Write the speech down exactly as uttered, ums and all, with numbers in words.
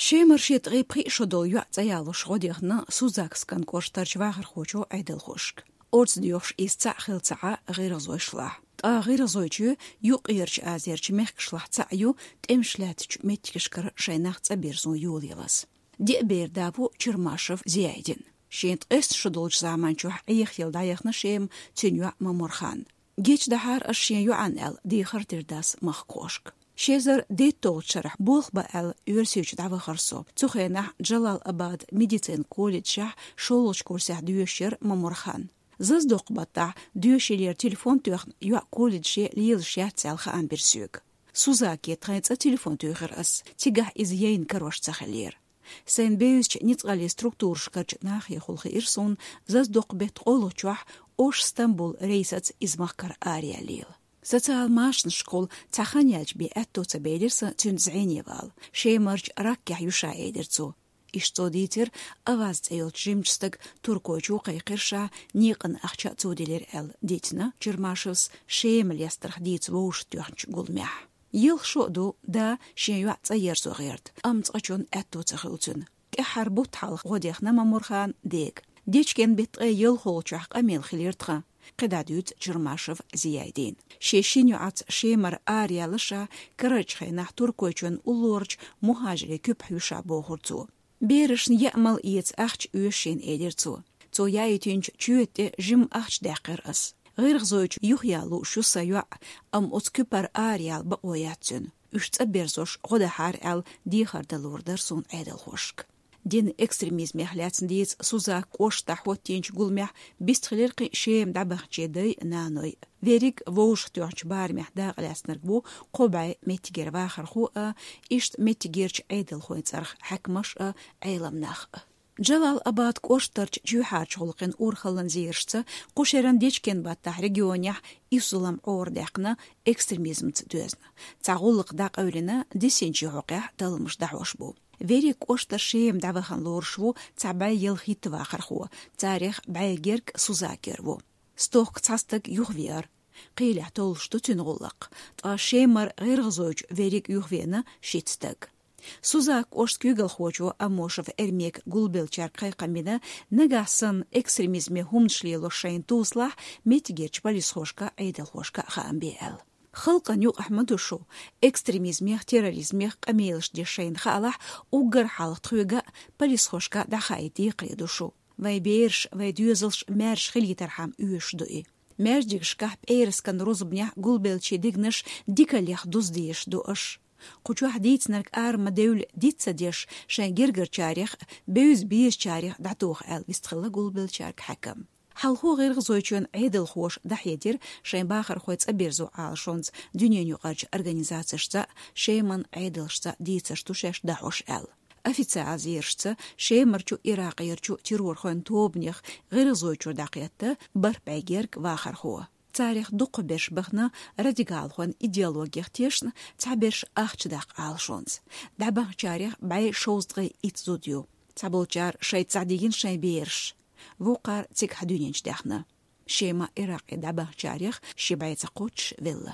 Шемара шен ткъе пхиъ шо долу йоӀ цӀа ялош гӀо дехна Сузакскан кӀоштарчу вахархочо Ӏедалхошка. Орца доьхуш иза цхьаъ хилла ца Ӏа гӀиргӀазойшлахь. Ткъа гӀиргӀазойчоь Юккъерчу Азерчу мехкашлахь цхьаъ ю тӀемаш лаьттачу меттигашкара шайн нах цӀа бирзо йолаялаза. Диъ бер да ву Чермашев Зиайдин. Шен ткъесна шо долчу заманчохь Ӏехаелла дӀаяхна Шема цуьнан йоӀ Мамурхан. Гечдахьара ас шен йоӀана аьлла, дехар дира дас махкахошка. Ши эзар дейтталгӀачу шарахь болх бан аьлла, Оьрсийчу дӀавахара со. Цу хенахь Джалал-Абад медицинан колледжехь шолгӀачу курсехь доьшуш яра Мамурхан. Зазадоккху баттахь доьшийлера телефон тоьхна йоӀ колледже лелаш яц аьлла хаам бира соьга. Сузаке тхайн цӀа телефон туьйхира ас, цигахь иза яйна карош ца хиллера. Сайн бевзачу ницкъаллин структурашкарчу нахехула хиира суна зазадоккху беттан къолгӀачохь Ош-Стамбул рейсаца иза махкара араяьллийла. Социал машанашкахула цхьа хан яьлча бен аьтто ца белира сан цуьнца зӀене вала. Шемарчу Раккехь ю ша, элира цо. Иштта цо дийцира Аваз цӀе йолчу жимачу стага Туркойчу кхайкхира ша, некъан ахча а цо делира аьлла, дийцина Чермашевс Шема лестарх дийца вовшахтоьхначу гуламехь. Ялх шо а ду, да шен йоӀ цӀа ерзо гӀерта, амма цкъачунна аьтто ца хуьлу цуьнан. ТӀаьххьара бутт хьалха гӀо дехна Мамурхан дега. Дечкен беттан ткъе ялхолгӀачохь къамел хилира тхан, кхидӀа дуьйцу Чермашев Зиайдина. Шен шина йоӀаца Шемара араяьлла ша, карарчу хенахь Туркойчоьнан уллорачу мухӀажирийн куьпахь ю ша, бохура цо. Берашна яа-мала эца ахча оьшу шена, элира цо. Цо яийтинчу чоьта тӀе жимма ахча даьккхира ас. ГӀиргӀазойчу юхаяла лууш ю сан йоӀ, амма оцу куьпара араяла бакъо яц цуьнан. Уьш цӀа берзош гӀо дахьара аьлла, дехар дан луур дара суна Ӏедалхошка. Динан экстремизмех лаьцна дийца Сузак кӀоштахь хӀоттийначу гуламехь бистхилира кхин а Шема дӀабаханчийн дай а, наной а. Верриг а вовшахтоьхначу барамехь дакъалаьцнарг ву кхо бӀе меттигера вахархо а, иштта меттигерчу Ӏедалхойн цӀарах хьаькамаш а, Ӏелам нах а. Джалал-Абад кӀоштарчу чоьхьарчу гӀуллакхийн урхаллан зерашца кху шеран дечкен баттахь регионехь исс зулам Ӏорадаьккхина экстремизмца доьзна. Цхьа гӀуллакх дӀакъевлина дисинчийн хьокъехь талламаш дӀахьош бу. Верриг кӀоштара Шема дӀавахана лоруш ву цхьа бӀе ялхитта вахархо, царех бӀе герга Сузакера ву. Стохка цхьа стаг юхавеара. Кхелехь толлуш ду цуьнан гӀуллакх, ткъа Шемара гӀиргӀазойчу верриг юхавеана шийтта стаг. Сузак кӀоштан куьйгалхочо Аммошев Эрмека гулбеллачаьрга кхайкхам бина, нагахь санна экстремизме хӀуманаш лелош шайна тосалахь, меттигерчу полисхошка а, Ӏедалхошка а хаам бе аьлла. Халкъана юкъахь ма ду шу, экстремизмех, терроризмех къамелаш деш шайна хаалахь, уггар хьалха тхоьга а, полисхошка а дӀахаийта декхаре ду шу. Вайн бераш, вайн доьзалш маьрша хилийтархьама оьшуш ду и. Маьждигашкахь, пӀераскан рузбанехь гулбеллачийн дегнаш дикаллех дуза дезаш ду аша. Кху чохь дийцинарг ара ма девлла диц ца деш, шайн гергарчарех а, бевза безачарех а дӀатоха аьлла вистхилла гулбеллачаьрга хьаькам. Хьалхо гӀиргӀазойчоьнан Ӏедалхоша дӀахьедира шайн бахархой цӀа бирзо Ӏалашонца дуьненаюкъарчу организацешца а, Шеман Ӏедалшца а дийцарш ду шаьш дӀахьош аьлла. Официалан зерашца, Шемарчу, Иракъерчу террорхойн тобанех ГӀиргӀазойчуьра дӀакхетта бархӀ бӀе герга вахархо. Царех дукхахберш бахана радикалхойн идеологех тешна, цхьаберш ахча даккха Ӏалашонца. ДӀабаханчарех бӀе шовзткъе итт зуда ю. Цхьаболчара шайца дӀадигина шайн бераш. Вукхара цигахь дуьнен чу даьхна. Шема, Иракъе дӀабаханчарех ши бӀе ца кхоччуш велла.